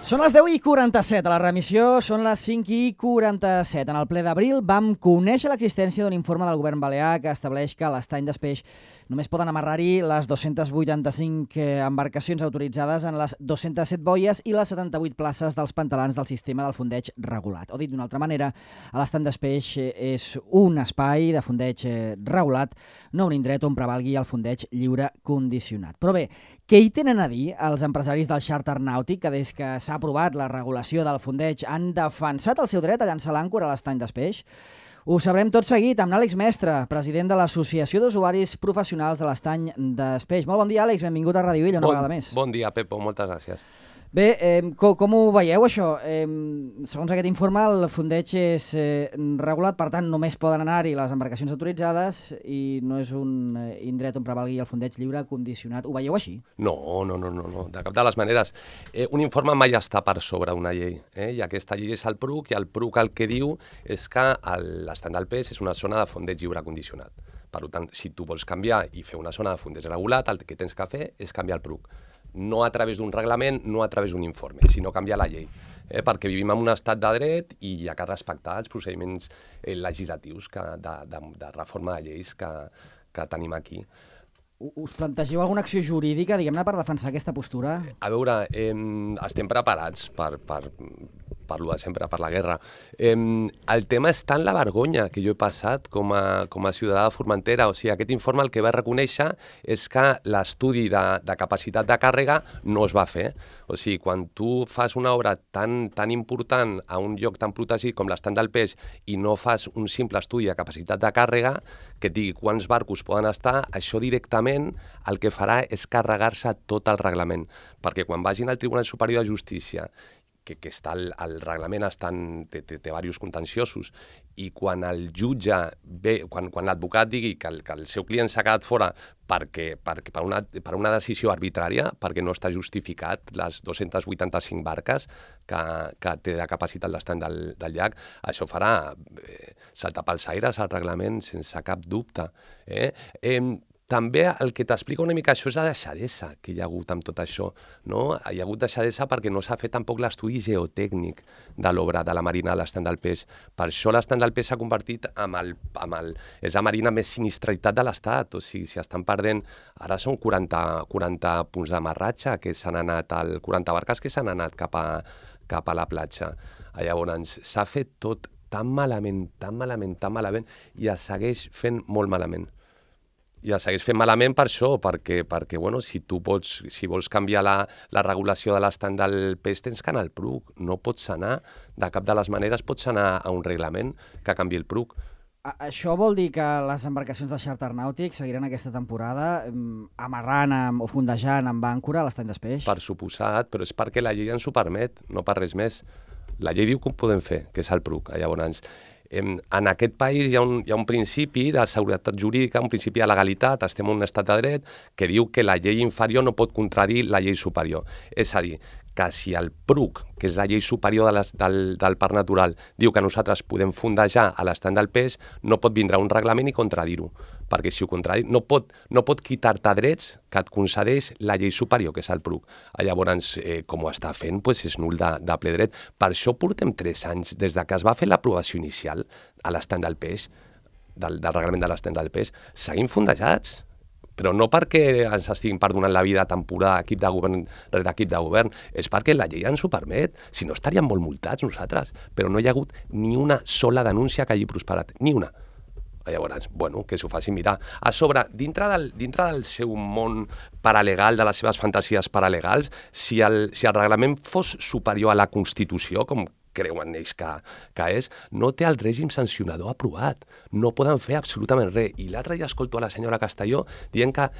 Són les 10:47, a la remissió són les 5:47. En el ple d'abril vam conèixer l'existència d'un informe del govern balear que estableix que a l'estany d'Espeix només poden amarrar-hi les 285 embarcacions autoritzades en les 207 boies i les 78 places dels pantalans del sistema del fondeig regulat. O dit d'una altra manera, a l'estany d'Espeix és un espai de fondeig regulat, no un indret on prevalgui el fondeig lliure condicionat. Però bé, què hi tenen a dir els empresaris del xàrter nàutic que des que s'ha aprovat la regulació del fondeig han defensat el seu dret a llançar l'àncora a l'estany d'Espeix? Ho sabrem tot seguit amb l'Àlex Mestre, president de l'Associació d'Usuaris Professionals de l'Estany d'Espeix. Molt bon dia, Àlex, benvingut a Ràdio Illa una vegada més. Bon dia, Pepo, moltes gràcies. Bé, com ho veieu, això? Segons aquest informe, el fondeig és regulat, per tant, només poden anar-hi les embarcacions autoritzades i no és un indret on prevalgui el fondeig lliure condicionat. Ho veieu així? No, de cap de les maneres. Un informe mai està per sobre una llei, i aquesta llei és el PRUC, i el PRUC el que diu és que l'estany del pes és una zona de fondeig lliure condicionat. Per tant, si tu vols canviar i fer una zona de fondeig regulat, el que tens que fer és canviar el PRUC. No a través d'un reglament, no a través d'un informe, sinó canviar la llei. Perquè vivim en un estat de dret i hi ha que respectar els procediments legislatius de reforma de lleis que tenim aquí. Us plantegeu alguna acció jurídica, diguem-ne, per defensar aquesta postura? A veure, estem preparats per lo de sempre, per la guerra. El tema està en la vergonya que jo he passat com a ciutadà de Formentera. O sigui, aquest informe el que va reconèixer és que l'estudi de capacitat de càrrega no es va fer. O sigui, quan tu fas una obra tan important a un lloc tan protegit com l'estany del pes i no fas un simple estudi de capacitat de càrrega, que et digui quants barcos poden estar, això directament el que farà és carregar-se tot el reglament. Perquè quan vagin al Tribunal Superior de Justícia, que està el reglament té diversos contenciosos, i quan el jutge ve, quan l'advocat digui que el seu client s'ha quedat fora per una decisió arbitrària, perquè no està justificat les 285 barques que té de capacitat l'estany del llac, això farà saltar pels aires el reglament sense cap dubte. També el que t'explica una mica això és la deixadesa que hi ha hagut amb tot això, no? Hi ha hagut deixadesa perquè no s'ha fet tampoc l'estudi geotècnic de l'obra de la marina de l'estany del pes. Per això l'estany del pes s'ha convertit és la marina més sinistralitat de l'Estat. O sigui, si estan perdent, ara són 40 punts d'amarratge, que s'han anat 40 barques que s'han anat cap a la platja. Llavors, s'ha fet tot tan malament, i es segueix fent molt malament. I es segueix fent malament per això, perquè bueno, si vols canviar la regulació de l'estany del pes, tens que anar al PRUC. No pots anar, de cap de les maneres pots anar a un reglament que canviï el PRUC. Això vol dir que les embarcacions del xàrter nàutic seguiran aquesta temporada amarrant o fondejant amb àncora a l'estany d'Espeix? Per suposat, però és perquè la llei ens ho permet, no per res més. La llei diu que ho podem fer, que és el PRUC. Llavors, en aquest país hi ha un principi de seguretat jurídica, un principi de legalitat, estem en un estat de dret, que diu que la llei inferior no pot contradir la llei superior. És a dir, que si el PRUC, que és la llei superior del Parc Natural, diu que nosaltres podem fondejar a l'estany del pes, no pot vindre un reglament i contradir-ho, perquè si ho contradir, no pot quitar-te drets que et concedeix la llei superior, que és el PRUC. Llavors, com ho està fent, és nul de ple dret. Per això portem 3 anys, des que es va fer l'aprovació inicial a l'estany del pes, del reglament de l'estany del pes, seguim fondejats. Però no perquè ens estiguin perdonant la vida temporada equip de govern rere equip de govern, és perquè la llei ens ho permet. Si no, estaríem molt multats nosaltres. Però no hi ha hagut ni una sola denúncia que hagi prosperat, ni una. Llavors, bueno, que s'ho facin mirar. A sobre, dintre del seu món paralegal, de les seves fantasies paralegals, si el reglament fos superior a la Constitució, com creuen ells que és, no té el règim sancionador aprovat. No poden fer absolutament res. I l'altre dia escolto a la senyora Castelló dient que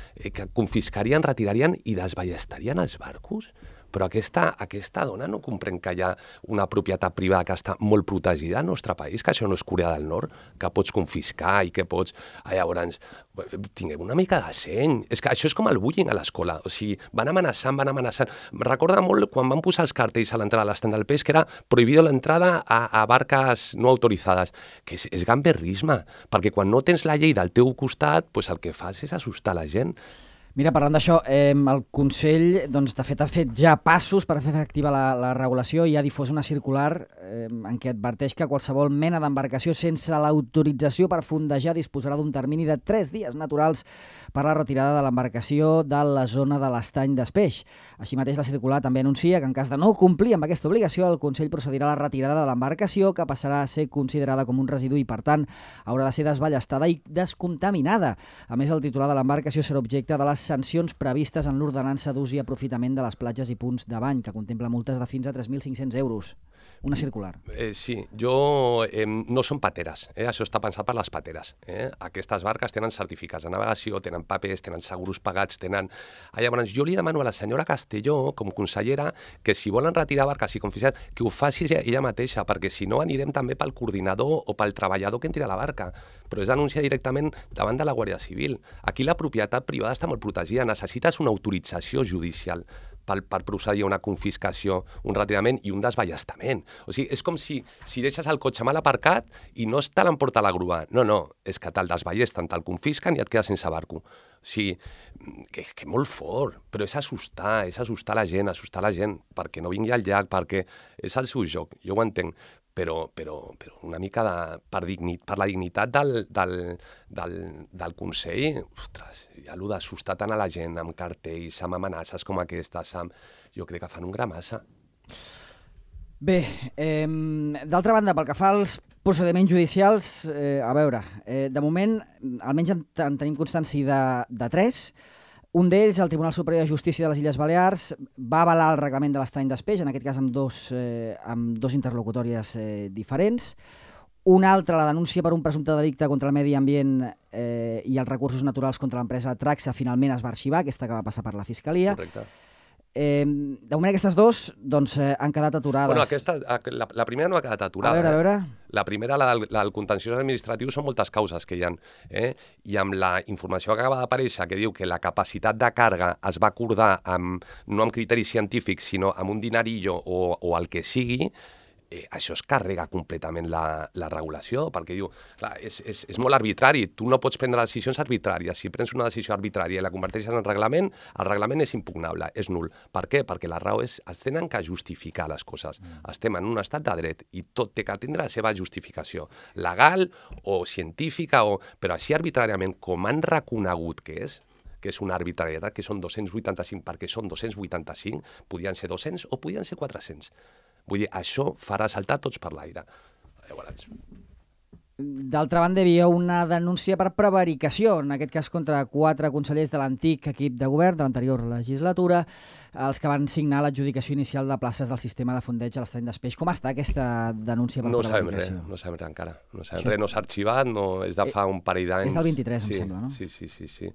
confiscarien, retirarien i desballestarien els barcos. Però aquesta dona no comprèn que hi ha una propietat privada que està molt protegida al nostre país, que això no és Corea del Nord, que pots confiscar i que pots... Llavors, tinguem una mica de seny. És que això és com el bullying a l'escola. O sigui, van amenaçant. Recorda molt quan van posar els cartells a l'entrada de l'estany del pes que era prohibido l'entrada a barques no autoritzades. Que és gamberrisme, perquè quan no tens la llei del teu costat, el que fas és assustar la gent. Mira, parlant d'això, el Consell, doncs, de fet, ha fet ja passos per fer efectiva la regulació i ha difós una circular en què adverteix que qualsevol mena d'embarcació sense l'autorització per fondejar disposarà d'un termini de 3 dies naturals per la retirada de l'embarcació de la zona de l'estany d'Espeix. Així mateix, la circular també anuncia que en cas de no complir amb aquesta obligació, el Consell procedirà a la retirada de l'embarcació, que passarà a ser considerada com un residu i, per tant, haurà de ser desballestada i descontaminada. A més, el titular de l'embarcació serà objecte de les sancions previstes en l'ordenança d'ús i aprofitament de les platges i punts de bany, que contempla multes de fins a 3.500 euros. Una circular. Sí, no són pateres, això està pensat per les pateres. Aquestes barques tenen certificats de navegació, tenen papers, tenen seguros pagats, tenen... Llavors, jo li demano a la senyora Castelló, com consellera, que si volen retirar barques i confiscar, que ho faci ella mateixa, perquè si no anirem també pel coordinador o pel treballador que entri a la barca. Però és denunciar directament davant de la Guàrdia Civil. Aquí la propietat privada està molt protegida, necessites una autorització judicial per procedir a una confiscació, un retirament i un desballestament. O sigui, és com si deixes el cotxe mal aparcat i no te l'emporta la grua. No, és que te'l desballesten, te'l confisquen i et quedes sense barco. O sigui, que molt fort, però és assustar la gent, perquè no vingui al llac, perquè és el seu joc, jo ho entenc. Però una mica per la dignitat del Consell, ostres, ja allò d'assustar tant a la gent amb cartells, amb amenaces com aquestes, jo crec que fan un gra massa. Bé, d'altra banda, pel que fa als procediments judicials, a veure, de moment, almenys en tenim constància de 3. Un d'ells, el Tribunal Superior de Justícia de les Illes Balears, va avalar el reglament de l'estany d'Espeix, en aquest cas amb dos interlocutòries diferents. Un altre, la denúncia per un presumpte delicte contra el medi ambient i els recursos naturals contra l'empresa Traxa, finalment es va arxivar, aquesta que va passar per la Fiscalia. Correcte. De moment aquestes dos han quedat aturades. Bueno, la primera no ha quedat aturada. A veure. La primera, la del contenciós administratiu, són moltes causes que hi ha. I amb la informació que acaba d'aparèixer, que diu que la capacitat de càrrega es va acordar no amb criteris científics, sinó amb un dinarillo o el que sigui, això es carrega completament la regulació, perquè diu, clar, és molt arbitrari, tu no pots prendre decisions arbitràries, si prens una decisió arbitrària i la converteixes en reglament, el reglament és impugnable, és nul. Per què? Perquè la raó és, es tenen que justificar les coses. Estem en un estat de dret i tot té que tindre la seva justificació, legal o científica, però així arbitràriament, com han reconegut que és una arbitrarietat, que són 285 perquè són 285, podien ser 200 o podien ser 400. Vull dir, això farà saltar tots per l'aire. Llavors... D'altra banda, hi havia una denúncia per prevaricació, en aquest cas contra 4 consellers de l'antic equip de govern de l'anterior legislatura, els que van signar l'adjudicació inicial de places del sistema de fondeig a l'estany d'Espeix. Com està aquesta denúncia per prevaricació? No sabem res encara. No sabem res, no s'ha arxivat, és de fa un parell d'anys. És del 23, em sembla, no? Sí.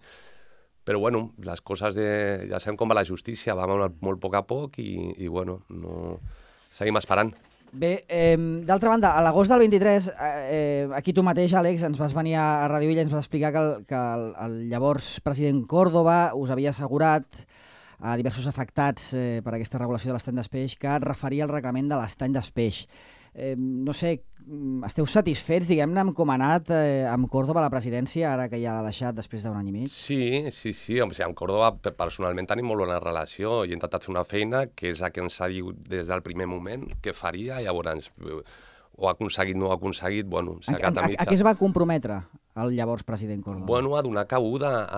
Però, bueno, les coses ja sabem com va la justícia, va molt a poc i bueno, no... Seguim esperant. Bé, d'altra banda, a l'agost del 23, aquí tu mateix, Àlex, ens vas venir a Radio Villa i ens vas explicar que el llavors president Córdoba us havia assegurat a diversos afectats per aquesta regulació de l'estany d'Espeix que es referia al reglament de l'estany d'Espeix. No sé, esteu satisfets, diguem-ne, amb com ha anat amb Córdoba a la presidència, ara que ja l'ha deixat després d'un any i mig? Sí. Amb Córdoba personalment tenim molt bona relació i he intentat fer una feina que és la que ens ha dit des del primer moment que faria, llavors ho ha aconseguit, no ho ha aconseguit, bueno, s'ha quedat a mitja. A què es va comprometre el llavors president Córdoba? Bueno, a donar cabuda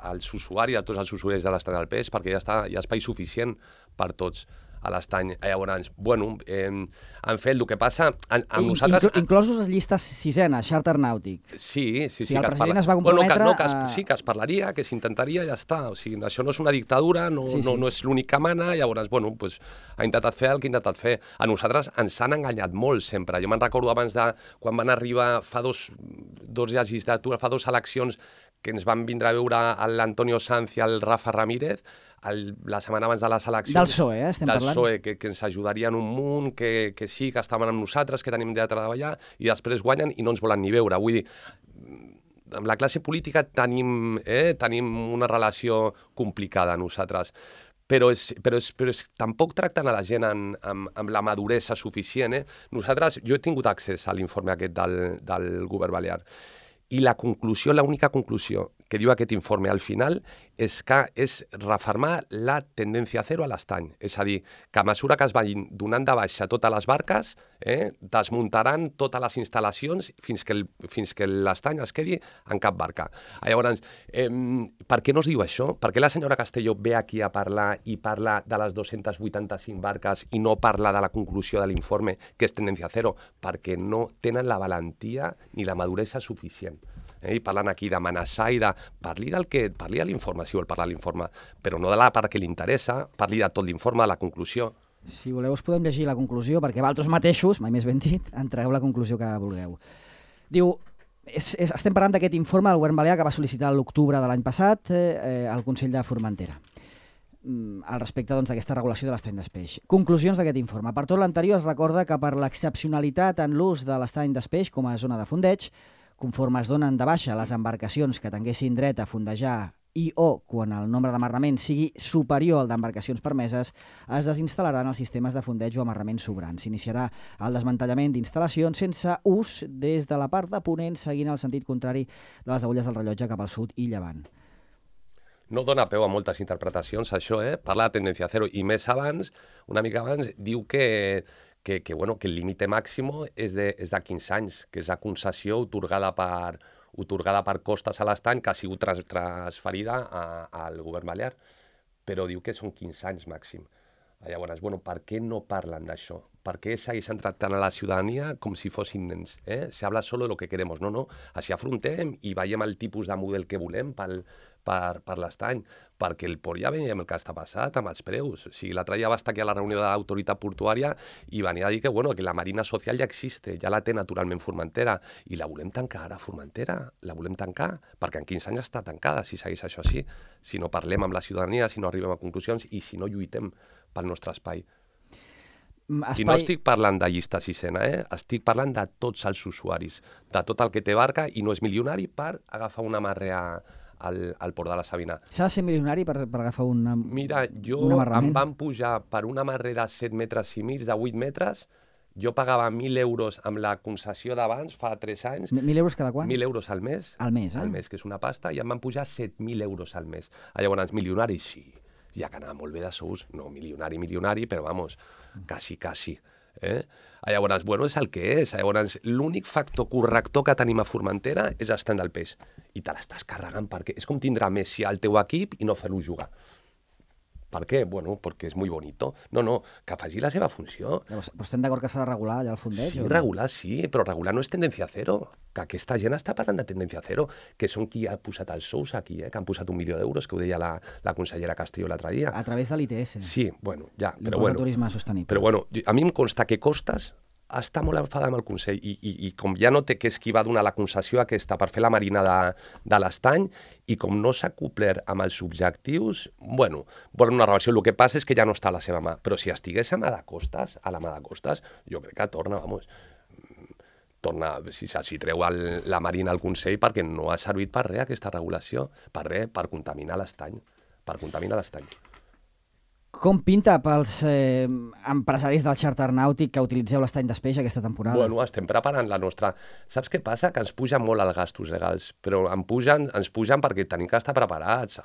als usuaris, a tots els usuaris de l'estany del peix, perquè hi ha espai suficient per tots a l'estany. Llavors, bueno, han fet el que passa amb nosaltres... Inclosos les llistes sisena, Charter Nàutic. Sí. El president es va comprometre... Sí, que es parlaria, que s'intentaria i ja està. O sigui, això no és una dictadura, no és l'únic que mana, llavors, bueno, pues, ha intentat fer el que ha intentat fer. A nosaltres ens han enganyat molt sempre. Jo me'n recordo abans de quan van arribar fa dos legislatures, fa 2 eleccions, que ens van vindre a veure l'Antonio Sanz i el Rafa Ramírez, la setmana abans de les eleccions... Del PSOE, estem parlant? Del PSOE, que ens ajudarien un munt, que sí, que estaven amb nosaltres, que tenim de treballar, i després guanyen i no ens volen ni veure. Vull dir, amb la classe política tenim una relació complicada nosaltres, però tampoc tracten a la gent amb la maduresa suficient. Nosaltres, jo he tingut accés a l'informe aquest del govern balear, i l'única conclusió que diu aquest informe al final és que és refermar la tendència zero a l'estany. És a dir, que a mesura que es vagin donant de baixa totes les barques, desmuntaran totes les instal·lacions fins que l'estany es quedi en cap barca. Llavors, per què no es diu això? Per què la senyora Castelló ve aquí a parlar i parla de les 285 barques i no parla de la conclusió de l'informe, que és tendència zero? Perquè no tenen la valentia ni la maduresa suficient. I parlant aquí d'amenaçar i de... Parli de l'informe, si vol parlar de l'informe, però no de la part que li interessa, parli de tot l'informe, de la conclusió. Si voleu us podem llegir la conclusió, perquè vosaltres mateixos, mai més ben dit, en tragueu la conclusió que vulgueu. Diu, estem parlant d'aquest informe del govern balear que va sol·licitar l'octubre de l'any passat al Consell de Formentera al respecte d'aquesta regulació de l'estany d'espeix. Conclusions d'aquest informe. Per tot l'anterior es recorda que per l'excepcionalitat en l'ús de l'estany d'espeix com a zona de fondeig, conforme es donen de baixa les embarcacions que tinguessin dret a fondejar o quan el nombre d'amarraments sigui superior al d'embarcacions permeses, es desinstal·laran els sistemes de fondeig o amarraments sobrants. S'iniciarà el desmantellament d'instal·lacions sense ús des de la part de ponent, seguint el sentit contrari de les agulles del rellotge cap al sud i llevant. No dona peu a moltes interpretacions, això, Parla de tendència zero. I més abans, una mica abans, diu que el límit màxim és de 15 anys, que és la concessió atorgada per Costes a l'estany, que ha sigut transferida al govern balear, però diu que són 15 anys màxim. Llavors, per què no parlen d'això? Per què segueixen tractant a la ciutadania com si fossin nens? Se habla solo de lo que queremos. No, així afrontem i veiem el tipus de model que volem per l'estany, perquè el port ja veiem el que està passat amb els preus. O sigui, l'altre dia va estar aquí a la reunió de l'autoritat portuària i venia a dir que la marina social ja existe, ja la té naturalment Formentera, i la volem tancar ara, Formentera, la volem tancar, perquè en 15 anys està tancada, si segueix això així, si no parlem amb la ciutadania, si no arribem a conclusions i si no lluitem pel nostre espai. I no estic parlant de llista sisena, estic parlant de tots els usuaris, de tot el que té barca i no és milionari per agafar una amarre al port de la Sabina. S'ha de ser milionari per agafar un amarrament? Mira, em van pujar per un amarre de 7 metres i mig, de 8 metres, jo pagava 1.000 euros amb la concessió d'abans, fa 3 anys. 1.000 euros cada quan? 1.000 euros al mes. Al mes, Al mes, que és una pasta, i em van pujar 7.000 euros al mes. Llavors, milionari, sí. Ja que anava molt bé de sous, no milionari, però vamos, quasi. Llavors, és el que és. Llavors, l'únic factor corrector que tenim a Formentera és l'estany del peix. I te l'estàs carregant perquè és com tindrà Messi al teu equip i no fer-lo jugar. Per què? Perquè és molt bonito. No, que faci la seva funció. Però estem d'acord que s'ha de regular allà el fondeig? Sí, regular sí, però regular no és tendència zero. Que aquesta gent està parlant de tendència zero, que són qui ha posat els sous aquí, que han posat 1 milió d'euros, que ho deia la consellera Castillo l'altre dia. A través de l'ITS. Sí, ja. L'impost de turisme sostenible. Però a mi em consta que Costes està molt enfadat amb el Consell i com ja no té que és qui va donar la concessió aquesta per fer la marina de l'estany i com no s'ha complert amb els objectius, volen una reversió. El que passa és que ja no està a la seva mà, però si estigués a la mà de Costes, jo crec que torna, si treu la marina al Consell perquè no ha servit per res aquesta regulació, per contaminar l'estany, Com pinta pels empresaris del xàrter nàutic que utilitzeu l'estany d'espeix aquesta temporada? Estem preparant la nostra... Saps què passa? Que ens pugen molt els gastos legals, però ens pugen perquè tenim que estar preparats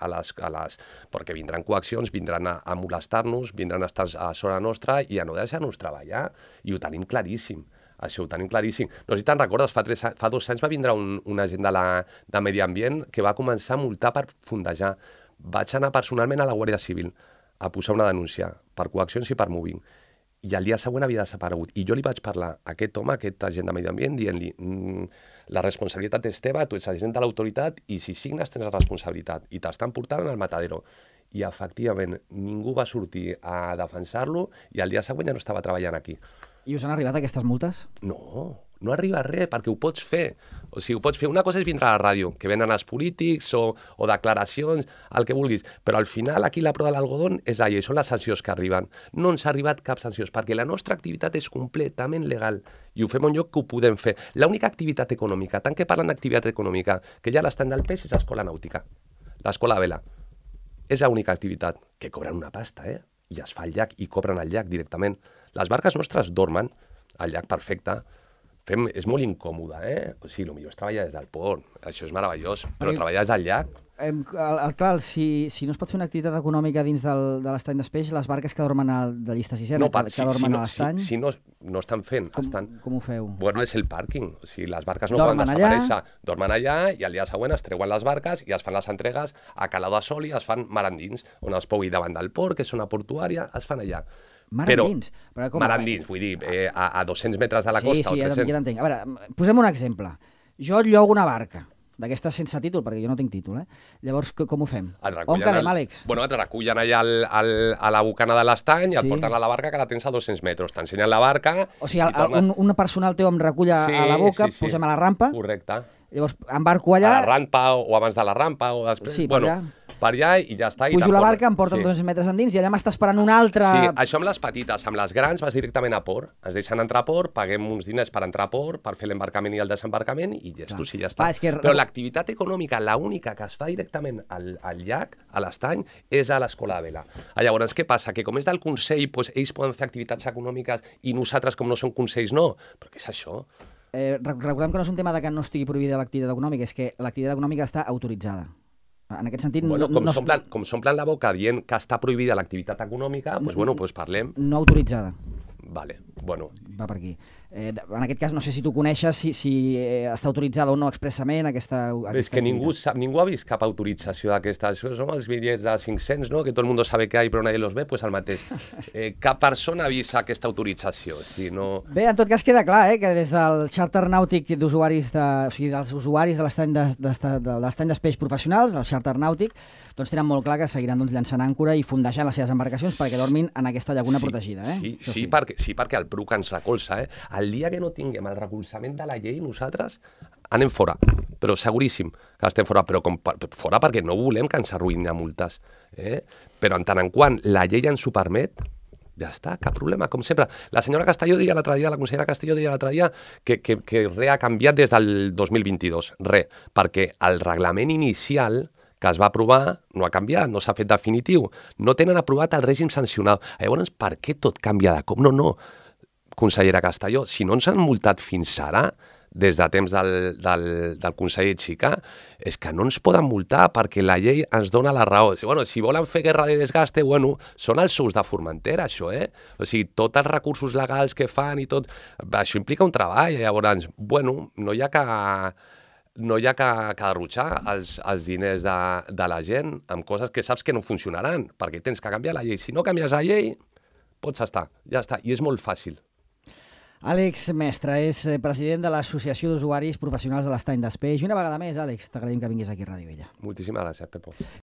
perquè vindran coaccions, vindran a molestar-nos, vindran a estar a sobre nostra i a no deixar-nos treballar, i ho tenim claríssim. Això ho tenim claríssim. No sé si te'n recordes, fa 2 anys va vindre un agent de Medi Ambient que va començar a multar per fondejar. Vaig anar personalment a la Guàrdia Civil a posar una denúncia per coaccions i per moving. I el dia següent havia desaparegut. I jo li vaig parlar a aquest home, aquest agent de Medi Ambient, dient-li la responsabilitat és teva, tu ets agent de l'autoritat i si signes tens la responsabilitat i t'estan portant al matadero. I efectivament ningú va sortir a defensar-lo i el dia següent ja no estava treballant aquí. I us han arribat aquestes multes? No arriba res, perquè ho pots fer. O sigui, ho pots fer. Una cosa és vindre a la ràdio, que venen els polítics o declaracions, el que vulguis, però al final aquí la prova de l'algodón és allà i són les sancions que arriben. No ens ha arribat cap sanció, perquè la nostra activitat és completament legal i ho fem en lloc que ho podem fer. L'única activitat econòmica, tant que parlen d'activitat econòmica, que ja l'estany del peix és l'escola nàutica, l'escola de vela. És l'única activitat que cobren una pasta, i es fa el llac i cobren el llac directament. Les barques nostres dormen al llac perfecte, És molt incòmode, O sigui, el millor és treballar des del port, això és meravellós, però treballar des del llac... Clar, si no es pot fer una activitat econòmica dins de l'estany d'Espeix, les barques que dormen de llista sisena, que dormen a l'estany... Si no estan fent... Com ho feu? Bueno, és el pàrquing. O sigui, les barques no poden desaparèixer. Dormen allà i el dia següent es treuen les barques i es fan les entregues a Calao de Sol i es fan mar endins, on es pugui davant del port, que és una portuària, es fan allà. Mar endins? Mar endins, vull dir, a 200 metres de la costa o 300. Sí, ja t'entenc. A veure, posem un exemple. Jo llogo una barca, d'aquestes sense títol, perquè jo no tinc títol, Llavors, com ho fem? On quedem, Àlex? Bueno, et recullen allà a la bocana de l'estany i et porten a la barca que la tens a 200 metres. T'ensenyen la barca... O sigui, un personal teu em recull a la boca, posem a la rampa... Correcte. Llavors, embarco allà... A la rampa o abans de la rampa o després... Sí, per allà. Per allà i ja està. Pujo la barca, em porten 200 metres endins i allà m'està esperant una altra... Sí, això amb les petites, amb les grans vas directament a port. Ens deixen entrar a port, paguem uns diners per entrar a port, per fer l'embarcament i el desembarcament i gestos i ja està. Però l'activitat econòmica, l'única que es fa directament al llac, a l'estany, és a l'escola de vela. Llavors, què passa? Que com és del Consell, ells poden fer activitats econòmiques i nosaltres, com no som consells, no. Però què és això? Recordem que no és un tema de que no estigui prohibida l'activitat econòmica, és que l'activitat econòmica està autoritzada. En aquest sentit... Bueno, com s'omplen la boca dient que està prohibida l'activitat econòmica, doncs parlem... No autoritzada. Vale, bueno. Va per aquí. En aquest cas, no sé si tu coneixes si està autoritzada o no expressament aquesta és que ningú ha vist cap autorització d'aquestes. Són els bitllets de 500, no? Que tot el mundo sabe que hay, però nadie los ve, pues el mateix. Cap persona ha vist aquesta autorització. Bé, en tot cas queda clar que des del xàrter nàutic d'usuaris, o sigui, dels usuaris de l'estany d'espeix professionals, el xàrter nàutic, doncs tenen molt clar que seguiran llançant àncora i fondejant les seves embarcacions perquè dormin en aquesta llaguna protegida. Sí, perquè el PRUC ens recolza. El dia que no tinguem el recolzament de la llei, nosaltres anem fora, però seguríssim que estem fora, però fora perquè no volem que ens arruïnin a multes. Però en tant en quant la llei ens ho permet, ja està, cap problema, com sempre. La senyora Castelló deia l'altre dia, la consellera Castelló deia l'altre dia que res ha canviat des del 2022, res, perquè el reglament inicial que es va aprovar no ha canviat, no s'ha fet definitiu, no tenen aprovat el règim sancional. Llavors, per què tot canvia de cop? No, consellera Castelló, si no ens han multat fins ara, des de temps del conseller Xica, és que no ens poden multar perquè la llei ens dona la raó. Si volen fer guerra de desgaste, són els sous de Formentera, això, O sigui, tots els recursos legals que fan i tot, això implica un treball. Llavors, no hi ha que derrotxar els diners de la gent amb coses que saps que no funcionaran, perquè tens que canviar la llei. Si no canvies la llei, pots estar, ja està, i és molt fàcil. Àlex Mestre és president de l'Associació d'Usuaris Professionals de l'Estany d'Espeix. I una vegada més, Àlex, t'agraïm que vinguis aquí a Ràdio Vella. Moltíssimes gràcies, Pepo.